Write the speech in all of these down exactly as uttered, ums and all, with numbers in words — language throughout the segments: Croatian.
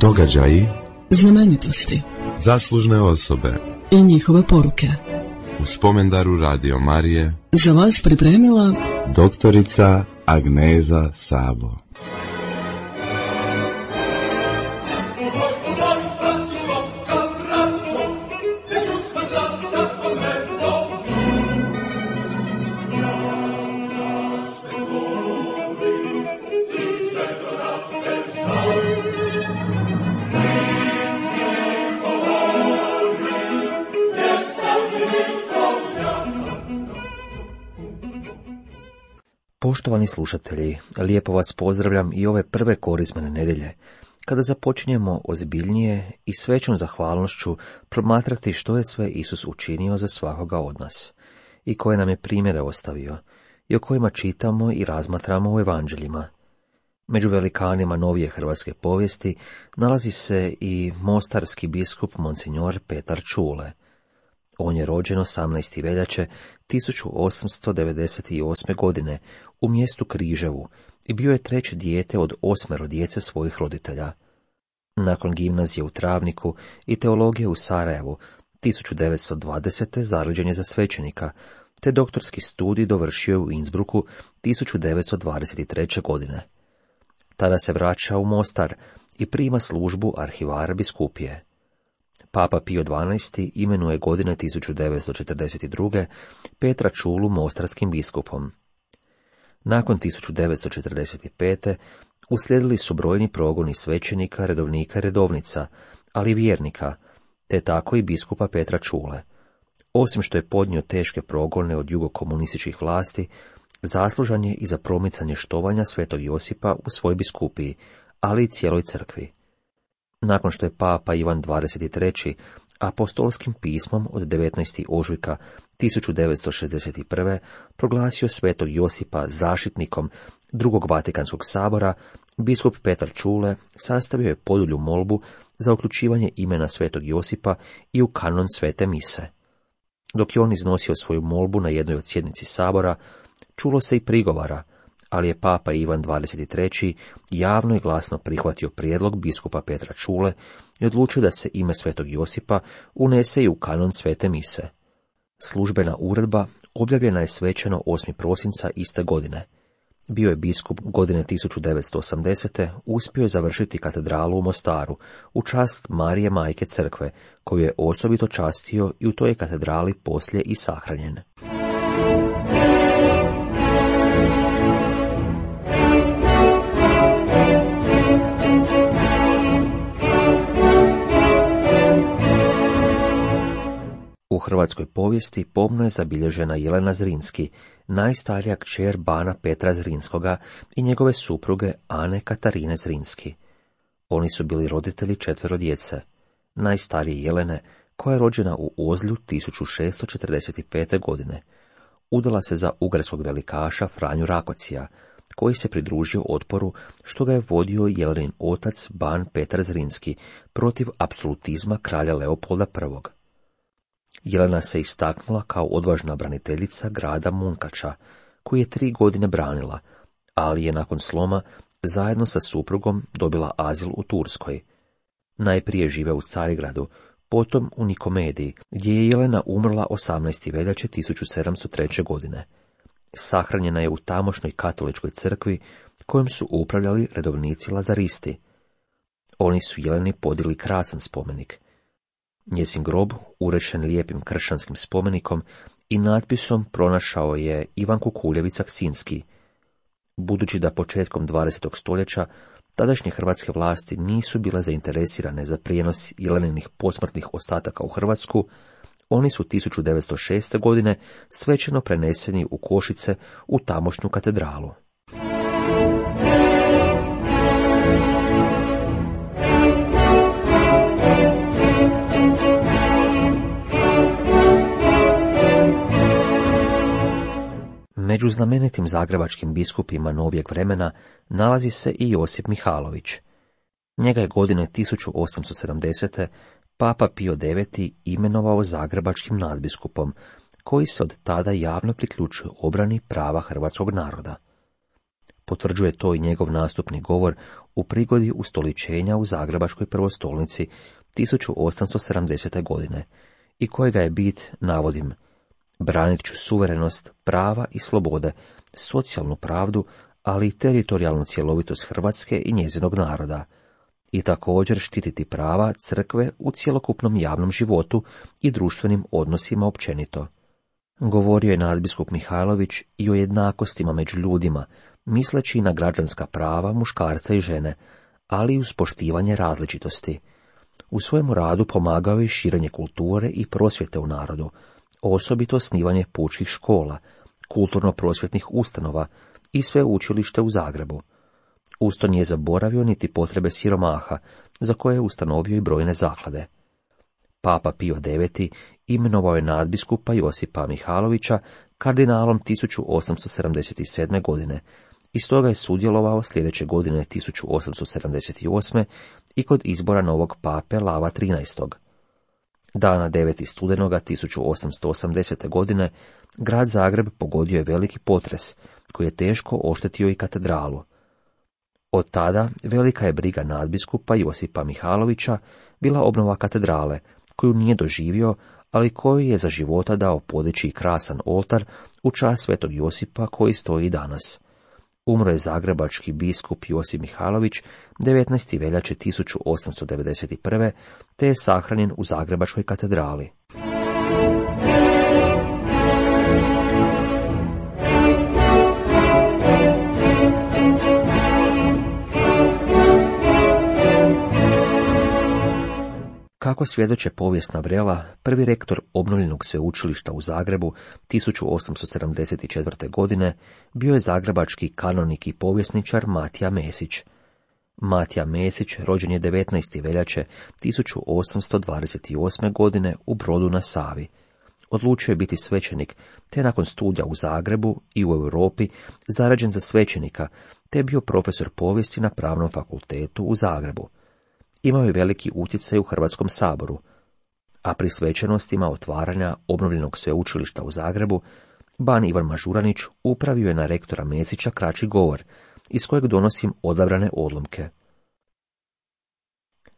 Događaji, znamenitosti, zaslužne osobe i njihove poruke. U spomendaru Radio Marije za vas pripremila doktorica Agneza Sabo. Poštovani slušatelji, lijepo vas pozdravljam i ove prve korizmene nedjelje, kada započinjemo ozbiljnije i s većom zahvalnošću promatrati što je sve Isus učinio za svakoga od nas i koje nam je primjere ostavio i o kojima čitamo i razmatramo u evanđeljima. Među velikanima novije hrvatske povijesti nalazi se i mostarski biskup Monsignor Petar Čule. On je rođen osamnaestog veljače tisuću osamsto devedeset osme. godine u mjestu Križevu i bio je treće dijete od osmero djece svojih roditelja. Nakon gimnazije u Travniku i teologije u Sarajevu tisuću devetsto dvadesete. zaređen je za svećenika, te doktorski studij dovršio je u Innsbrucku tisuću devetsto dvadeset treće. godine. Tada se vraća u Mostar i prima službu arhivara biskupije. Papa Pio dvanaesti. imenuje godine tisuću devetsto četrdeset druge. Petra Čulu mostarskim biskupom. Nakon tisuću devetsto četrdeset pete. uslijedili su brojni progoni svećenika, redovnika i redovnica, ali i vjernika, te tako i biskupa Petra Čule. Osim što je podnio teške progone od jugokomunističkih vlasti, zaslužan je i za promicanje štovanja svetog Josipa u svoj biskupiji, ali i cijeloj crkvi. Nakon što je papa Ivan dvadeset treći. apostolskim pismom od devetnaestog ožujka tisuću devetsto šezdeset prve. proglasio svetog Josipa zaštitnikom drugog Vatikanskog sabora, biskup Petar Čule sastavio je podulju molbu za uključivanje imena svetog Josipa i u kanon svete mise. Dok je on iznosio svoju molbu na jednoj od sjednici sabora, čulo se i prigovara, ali je papa Ivan dvadeset treći. javno i glasno prihvatio prijedlog biskupa Petra Čule i odlučio da se ime svetog Josipa unese i u kanon svete mise. Službena uredba objavljena je svečano osmog prosinca iste godine. Bio je biskup godine tisuću devetsto osamdesete. uspio je završiti katedralu u Mostaru u čast Marije Majke Crkve, koju je osobito častio i u toj je katedrali poslije i sahranjen. U hrvatskoj povijesti pomno je zabilježena Jelena Zrinski, najstarija kćer bana Petra Zrinskoga i njegove supruge Ane Katarine Zrinski. Oni su bili roditelji četvero djece. Najstarije Jelene, koja je rođena u Ozlju tisuću šeststo četrdeset pete. godine, udala se za ugarskog velikaša Franju Rakocija, koji se pridružio otporu što ga je vodio Jelenin otac ban Petar Zrinski protiv apsolutizma kralja Leopolda prvog. Jelena se istaknula kao odvažna braniteljica grada Munkača, koji je tri godine branila, ali je nakon sloma zajedno sa suprugom dobila azil u Turskoj. Najprije žive u Carigradu, potom u Nikomediji, gdje je Jelena umrla osamnaestog veljače tisuću sedamsto treće. godine. Sahranjena je u tamošnjoj katoličkoj crkvi, kojom su upravljali redovnici lazaristi. Oni su Jeleni podili krasan spomenik. Njezin grob, urešen lijepim kršćanskim spomenikom i natpisom, pronašao je Ivan Kukuljević Aksinski. Budući da početkom dvadesetog stoljeća tadašnje hrvatske vlasti nisu bile zainteresirane za prijenos Jeleninih posmrtnih ostataka u Hrvatsku, oni su tisuću devetsto šeste. godine svečano preneseni u Košice u tamošnju katedralu. Među znamenitim zagrebačkim biskupima novijeg vremena nalazi se i Josip Mihalović. Njega je godine tisuću osamsto sedamdesete. Papa Pio deveti. imenovao zagrebačkim nadbiskupom, koji se od tada javno priključuje obrani prava hrvatskog naroda. Potvrđuje to i njegov nastupni govor u prigodi ustoličenja u Zagrebačkoj prvostolnici tisuću osamsto sedamdesete. godine, i kojega je bit, navodim, branit ću suverenost, prava i slobode, socijalnu pravdu, ali i teritorijalnu cjelovitost Hrvatske i njezinog naroda, i također štititi prava crkve u cjelokupnom javnom životu i društvenim odnosima općenito. Govorio je nadbiskup Mihajlović i o jednakostima među ljudima, misleći na građanska prava muškarca i žene, ali i uz poštivanje različitosti. U svojemu radu pomagao je širenje kulture i prosvjete u narodu, osobito osnivanje pučkih škola, kulturno-prosvjetnih ustanova i sveučilište u Zagrebu. Usto nije zaboravio niti potrebe siromaha, za koje je ustanovio i brojne zaklade. Papa Pio deveti imenovao je nadbiskupa Josipa Mihajlovića kardinalom tisuću osamsto sedamdeset sedme. godine, i stoga je sudjelovao sljedeće godine tisuću osamsto sedamdeset osme. i kod izbora novog pape Lava trinaestog. Dana devetog studenoga tisuću osamsto osamdesete. godine grad Zagreb pogodio je veliki potres, koji je teško oštetio i katedralu. Od tada velika je briga nadbiskupa Josipa Mihajlovića bila obnova katedrale, koju nije doživio, ali koju je za života dao podići krasan oltar u čast svetog Josipa koji stoji i danas. Umro je zagrebački biskup Josip Mihajlović devetnaestog veljače tisuću osamsto devedeset prve. te je sahranjen u Zagrebačkoj katedrali. Kako svjedoče povijesna vrela, prvi rektor obnovljenog sveučilišta u Zagrebu tisuću osamsto sedamdeset četvrte. godine bio je zagrebački kanonik i povjesničar Matija Mesić. Matija Mesić rođen je devetnaestog veljače tisuću osamsto dvadeset osme. godine u Brodu na Savi. Odlučio je biti svećenik, te nakon studija u Zagrebu i u Europi zarađen za svećenika, te je bio profesor povijesti na Pravnom fakultetu u Zagrebu. Imao je veliki utjecaj u Hrvatskom saboru, a pri svečanostima otvaranja obnovljenog sveučilišta u Zagrebu, ban Ivan Mažuranić upravio je na rektora Mesića kraći govor, iz kojeg donosim odabrane odlomke.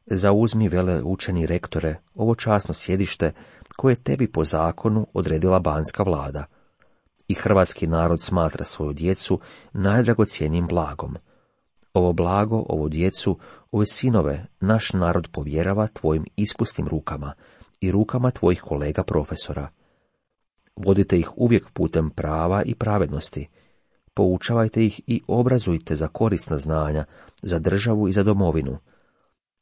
Zauzmi, vele učeni rektore, ovo časno sjedište koje tebi po zakonu odredila banska vlada. I hrvatski narod smatra svoju djecu najdragocjenijim blagom. Ovo blago, ovu djecu, ove sinove, naš narod povjerava tvojim ispustim rukama i rukama tvojih kolega profesora. Vodite ih uvijek putem prava i pravednosti. Poučavajte ih i obrazujte za korisna znanja, za državu i za domovinu.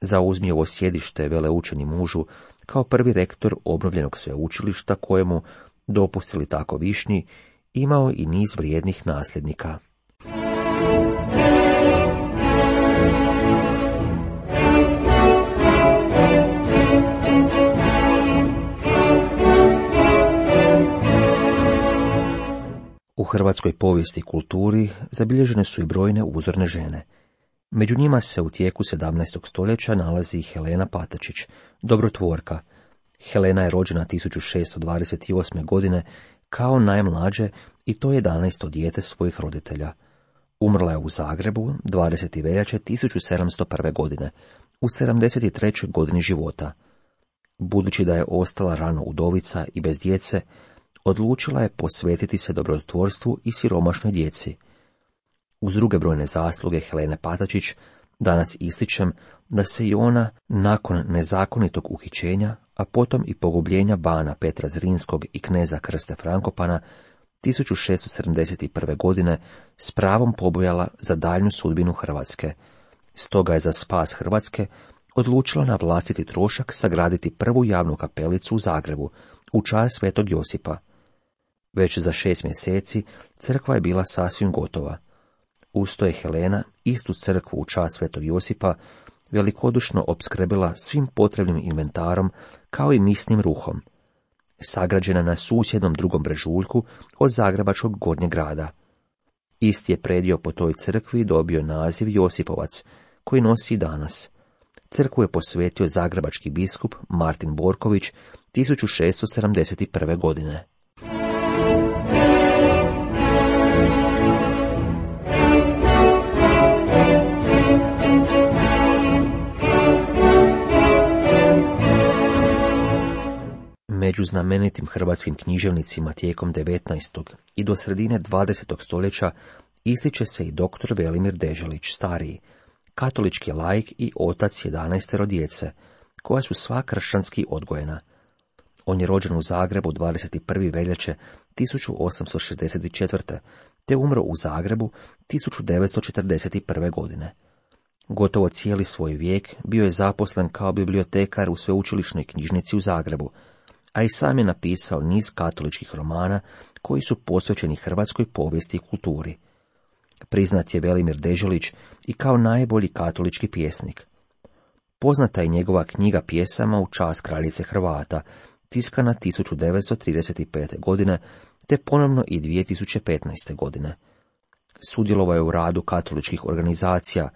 Zauzmi ovo sjedište, veleučeni mužu, kao prvi rektor obnovljenog sveučilišta kojemu, dopustili tako višnji, imao i niz vrijednih nasljednika. U hrvatskoj povijesti i kulturi zabilježene su i brojne uzorne žene. Među njima se u tijeku sedamnaestog stoljeća nalazi Helena Patačić, dobrotvorka. Helena je rođena tisuću šessto dvadeset osme. godine kao najmlađe i to jedanaesto dijete svojih roditelja. Umrla je u Zagrebu dvadesetog veljače tisuću sedamsto prve. godine, u sedamdeset trećoj. godini života. Budući da je ostala rano udovica i bez djece, odlučila je posvetiti se dobrotvorstvu i siromašnoj djeci. Uz druge brojne zasluge Helene Patačić, danas ističem da se i ona, nakon nezakonitog uhićenja, a potom i pogubljenja bana Petra Zrinskog i kneza Krste Frankopana, tisuću šessto sedamdeset prve. godine s pravom pobojala za daljnju sudbinu Hrvatske. Stoga je za spas Hrvatske odlučila na vlastiti trošak sagraditi prvu javnu kapelicu u Zagrebu, u čast svetog Josipa. Već za šest mjeseci crkva je bila sasvim gotova. Usto je Helena istu crkvu u čast svetog Josipa velikodušno opskrbila svim potrebnim inventarom kao i misnim ruhom. Sagrađena na susjednom drugom brežuljku od zagrebačkog Gornjeg grada. Isti je predio po toj crkvi dobio naziv Josipovac, koji nosi i danas. Crkvu je posvetio zagrebački biskup Martin Borković tisuću šessto sedamdeset prve. godine. Među znamenitim hrvatskim književnicima tijekom devetnaestog i do sredine dvadesetog stoljeća ističe se i doktor Velimir Deželić stariji, katolički laik i otac jedanaestero djece, koja su sva kršćanski odgojena. On je rođen u Zagrebu dvadeset prve veljače tisuću osamsto šezdeset četvrte. te umro u Zagrebu tisuću devetsto četrdeset prve. godine. Gotovo cijeli svoj vijek bio je zaposlen kao bibliotekar u sveučilišnoj knjižnici u Zagrebu, a i sam je napisao niz katoličkih romana koji su posvećeni hrvatskoj povijesti i kulturi. Priznat je Velimir Deželić i kao najbolji katolički pjesnik. Poznata je njegova knjiga pjesama u čast kraljice Hrvata, tiskana tisuću devetsto trideset pete. godine, te ponovno i dvije tisuće petnaeste. godine. Sudjelovao je u radu katoličkih organizacija,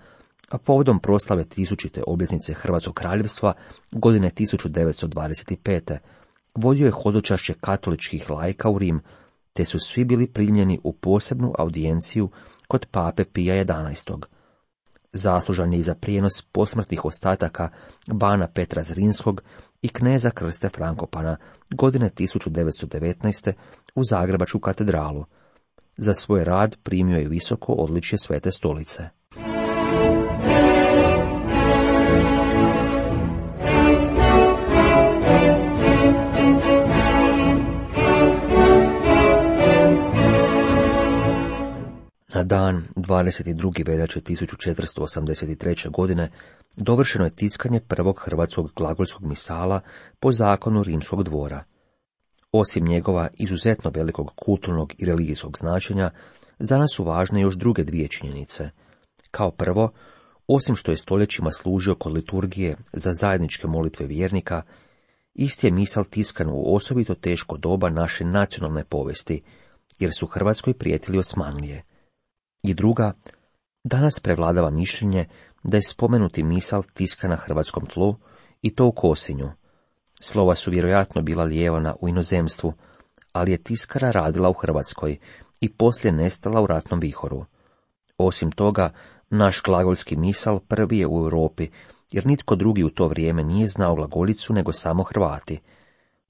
a povodom proslave tisućite obljetnice Hrvatskog kraljevstva godine tisuću devetsto dvadeset pete. vodio je hodočašće katoličkih laika u Rim, te su svi bili primljeni u posebnu audijenciju kod pape Pija jedanaestog. Zaslužan je i za prijenos posmrtnih ostataka bana Petra Zrinskog i kneza Krste Frankopana godine tisuću devetsto devetnaeste. u Zagrebačku katedralu. Za svoj rad primio je visoko odličje Svete stolice. Na dan dvadeset druge veljače tisuću četiristo osamdeset treće. godine dovršeno je tiskanje prvog hrvatskog glagolskog misala po zakonu Rimskog dvora. Osim njegova izuzetno velikog kulturnog i religijskog značenja, za nas su važne još druge dvije činjenice. Kao prvo, osim što je stoljećima služio kod liturgije za zajedničke molitve vjernika, isti je misal tiskan u osobito teško doba naše nacionalne povijesti, jer su Hrvatskoj prijetili Osmanlije. I druga, danas prevladava mišljenje da je spomenuti misal tiskan na hrvatskom tlu, i to u Kosinju. Slova su vjerojatno bila lijevana u inozemstvu, ali je tiskara radila u Hrvatskoj i poslije nestala u ratnom vihoru. Osim toga, naš glagolski misal prvi je u Europi, jer nitko drugi u to vrijeme nije znao glagoljicu nego samo Hrvati.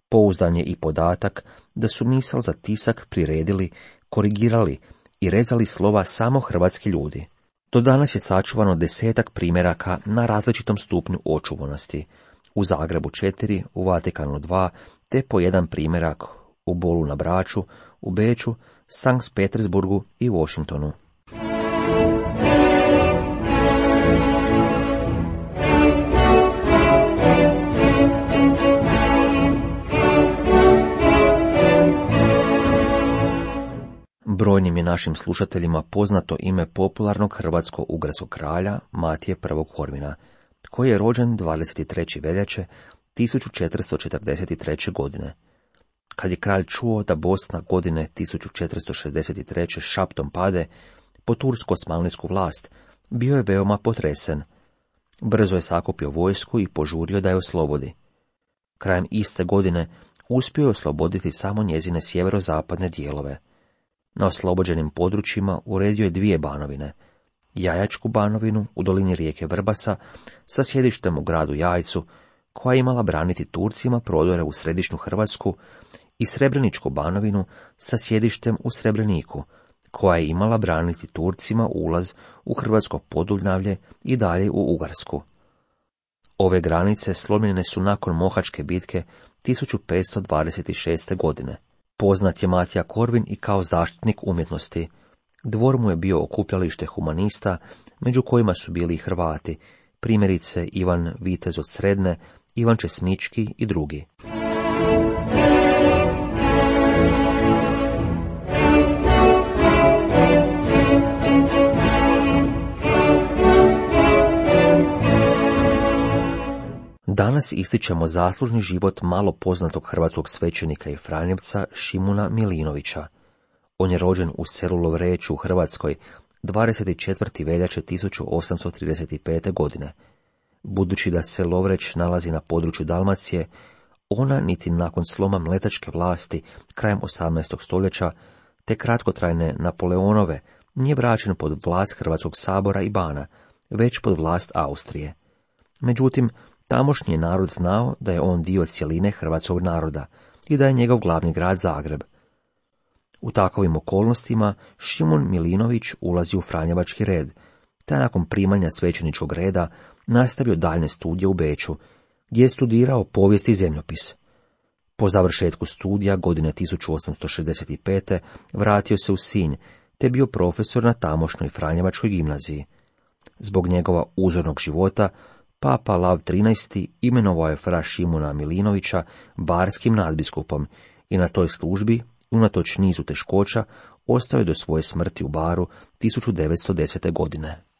Pouzdan je i podatak da su misal za tisak priredili, korigirali i rezali slova samo hrvatski ljudi. Do danas je sačuvano desetak primjeraka na različitom stupnju očuvanosti. U Zagrebu četiri, u Vatikanu dva, te po jedan primjerak u Bolu na Braču, u Beču, Sankt Petersburgu i Washingtonu. Brojnim je našim slušateljima poznato ime popularnog hrvatsko-ugarskog kralja Matije I. Horvina, koji je rođen dvadeset treće veljače tisuću četiristo četrdeset treće. godine. Kad je kralj čuo da Bosna godine tisuću četiristo šezdeset treće šaptom pade po tursko-osmanlijsku vlast, bio je veoma potresen. Brzo je sakupio vojsku i požurio da je oslobodi. Krajem iste godine uspio je osloboditi samo njezine sjeverozapadne dijelove. Na oslobođenim područjima uredio je dvije banovine, Jajačku banovinu u dolini rijeke Vrbasa sa sjedištem u gradu Jajcu, koja je imala braniti Turcima prodore u središnju Hrvatsku, i Srebreničku banovinu sa sjedištem u Srebreniku, koja je imala braniti Turcima ulaz u Hrvatsko Podunavlje i dalje u Ugarsku. Ove granice slomljene su nakon Mohačke bitke tisuću petsto dvadeset šeste. godine. Poznat je Matija Korvin i kao zaštitnik umjetnosti. Dvor mu je bio okupljalište humanista, među kojima su bili i Hrvati, primjerice Ivan Vitez od Sredne, Ivan Česmički i drugi. Danas ističemo zaslužni život malo poznatog hrvatskog svećenika i franjevca Šimuna Milinovića. On je rođen u selu Lovreču u Hrvatskoj dvadeset četvrte veljače tisuću osamsto trideset pete. godine. Budući da se Lovreć nalazi na području Dalmacije, ona niti nakon sloma mletačke vlasti krajem osamnaestog stoljeća, te kratkotrajne Napoleonove, nije vraćen pod vlast Hrvatskog sabora i bana, već pod vlast Austrije. Međutim, tamošnji narod znao da je on dio cjeline hrvatskog naroda i da je njegov glavni grad Zagreb. U takovim okolnostima Šimun Milinović ulazi u franjevački red, te nakon primanja svećeničkog reda nastavio daljnje studije u Beču, gdje je studirao povijest i zemljopis. Po završetku studija godine tisuću osamsto šezdeset pete. vratio se u Sinj, te bio profesor na tamošnjoj franjevačkoj gimnaziji. Zbog njegova uzornog života, Papa Lav trinaesti. imenovao je fra Šimuna Milinovića barskim nadbiskupom i na toj službi, unatoč nizu teškoća, ostao je do svoje smrti u Baru tisuću devetsto desete. godine.